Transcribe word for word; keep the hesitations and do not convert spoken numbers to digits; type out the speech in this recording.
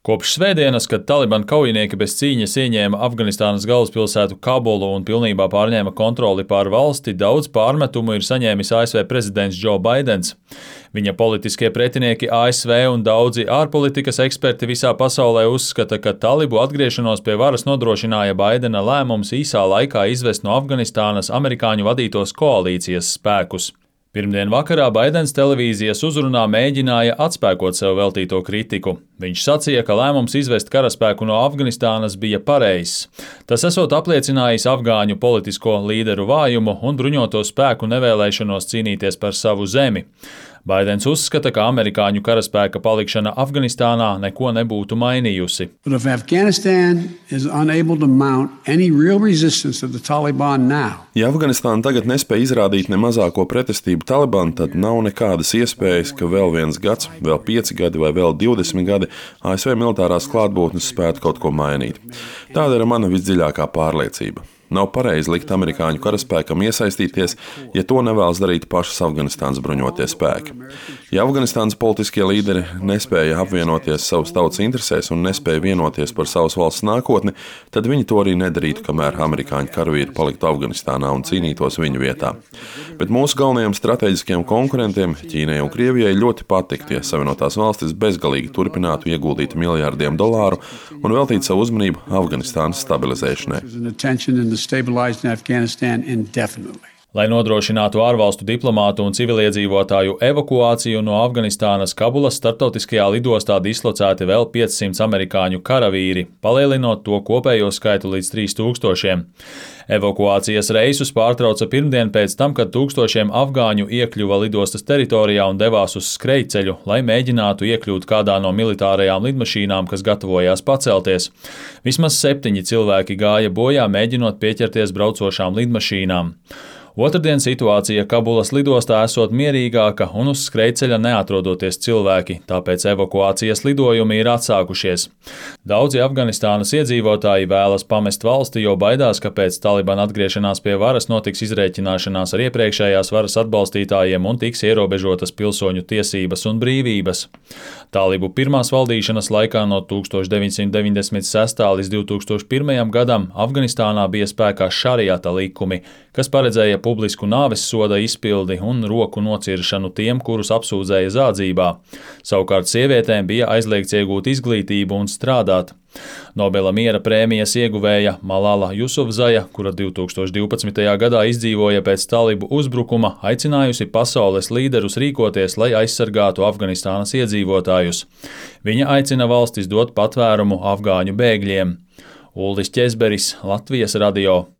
Kopš svētdienas, kad Taliban kaujinieki bez cīņas ieņēma Afganistānas galvaspilsētu Kabulu un pilnībā pārņēma kontroli pār valsti, daudz pārmetumu ir saņēmis A S V prezidents Džo Baidens. Viņa politiskie pretinieki A S V un daudzi ārpolitikas eksperti visā pasaulē uzskata, ka talibu atgriešanos pie varas nodrošināja Baidena lēmums īsā laikā izvest no Afganistānas amerikāņu vadītos koalīcijas spēkus. Pirmdien vakarā Baidens televīzijas uzrunā mēģināja atspēkot sev veltīto kritiku. Viņš sacīja, ka lēmums izvest karaspēku no Afganistānas bija pareizs. Tas esot apliecinājis afgāņu politisko līderu vājumu un bruņoto spēku nevēlēšanos cīnīties par savu zemi. Baidens uzskata, ka amerikāņu karaspēka palikšana Afganistānā neko nebūtu mainījusi. Ja Afganistāna tagad nespēja izrādīt ne mazāko pretestību Talibanu, tad nav nekādas iespējas, ka vēl viens gads, vēl pieci gadi vai vēl divdesmit gadi A S V militārās klātbūtnes spētu kaut ko mainīt. Tāda ir mana visdziļākā pārliecība. Nav pareizi likt amerikāņu karaspēkam iesaistīties, ja to nevēlas darīt pašas Afganistānas bruņotie spēki. Ja Afganistānas politiskie līderi nespēja apvienoties savas tautas interesēs un nespēja vienoties par savas valsts nākotni, tad viņi to arī nedarītu, kamēr amerikāņu karavīri paliktu Afganistānā un cīnītos viņu vietā. Bet mūsu galvenajiem strateģiskajiem konkurentiem, Ķīnai un Krievijai, ļoti patiktu, ja Savienotās valstis bezgalīgi turpinātu ieguldīt miljārdiem dolāru un veltīt savu uzmanību Afganistānas stabilizēšanai. Lai nodrošinātu ārvalstu diplomātu un civiliedzīvotāju evakuāciju no Afganistānas, Kabulas starptautiskajā lidostā dislocēti vēl piecsimt amerikāņu karavīri, palielinot to kopējo skaitu līdz trīs tūkstošiem. Evakuācijas reisus pārtrauca pirmdien pēc tam, kad tūkstošiem afgāņu iekļuva lidostas teritorijā un devās uz skrejceļu, lai mēģinātu iekļūt kādā no militārajām lidmašīnām, kas gatavojās pacelties. Vismaz septiņi cilvēki gāja bojā, mēģinot pieķerties braucošām lidmašīnām. Otrdien situācija Kabulas lidostā esot mierīgāka un uz skrejceļa neatrodoties cilvēki, tāpēc evakuācijas lidojumi ir atsākušies. Daudzi Afganistānas iedzīvotāji vēlas pamest valsti, jo baidās, ka pēc Talibana atgriešanās pie varas notiks izrēķināšanās ar iepriekšējās varas atbalstītājiem un tiks ierobežotas pilsoņu tiesības un brīvības. Talibu pirmās valdīšanas laikā no tūkstoš deviņsimt deviņdesmit sestā līdz divtūkstoš pirmajam gadam Afganistānā bija spēkā šariata likumi, kas paredzēja publisku nāves soda izpildi un roku nociršanu tiem, kurus apsūdzēja zādzībā. Savukārt sievietēm bija aizliegts iegūt izglītību un strādāt. Nobela miera prēmijas ieguvēja Malala Jusufzaja, kura divtūkstoš divpadsmitajā gadā izdzīvoja pēc talibu uzbrukuma, aicinājusi pasaules līderus rīkoties, lai aizsargātu Afganistānas iedzīvotājus. Viņa aicina valstis dot patvērumu afgāņu bēgļiem. Uldis Ķezberis, Latvijas radio.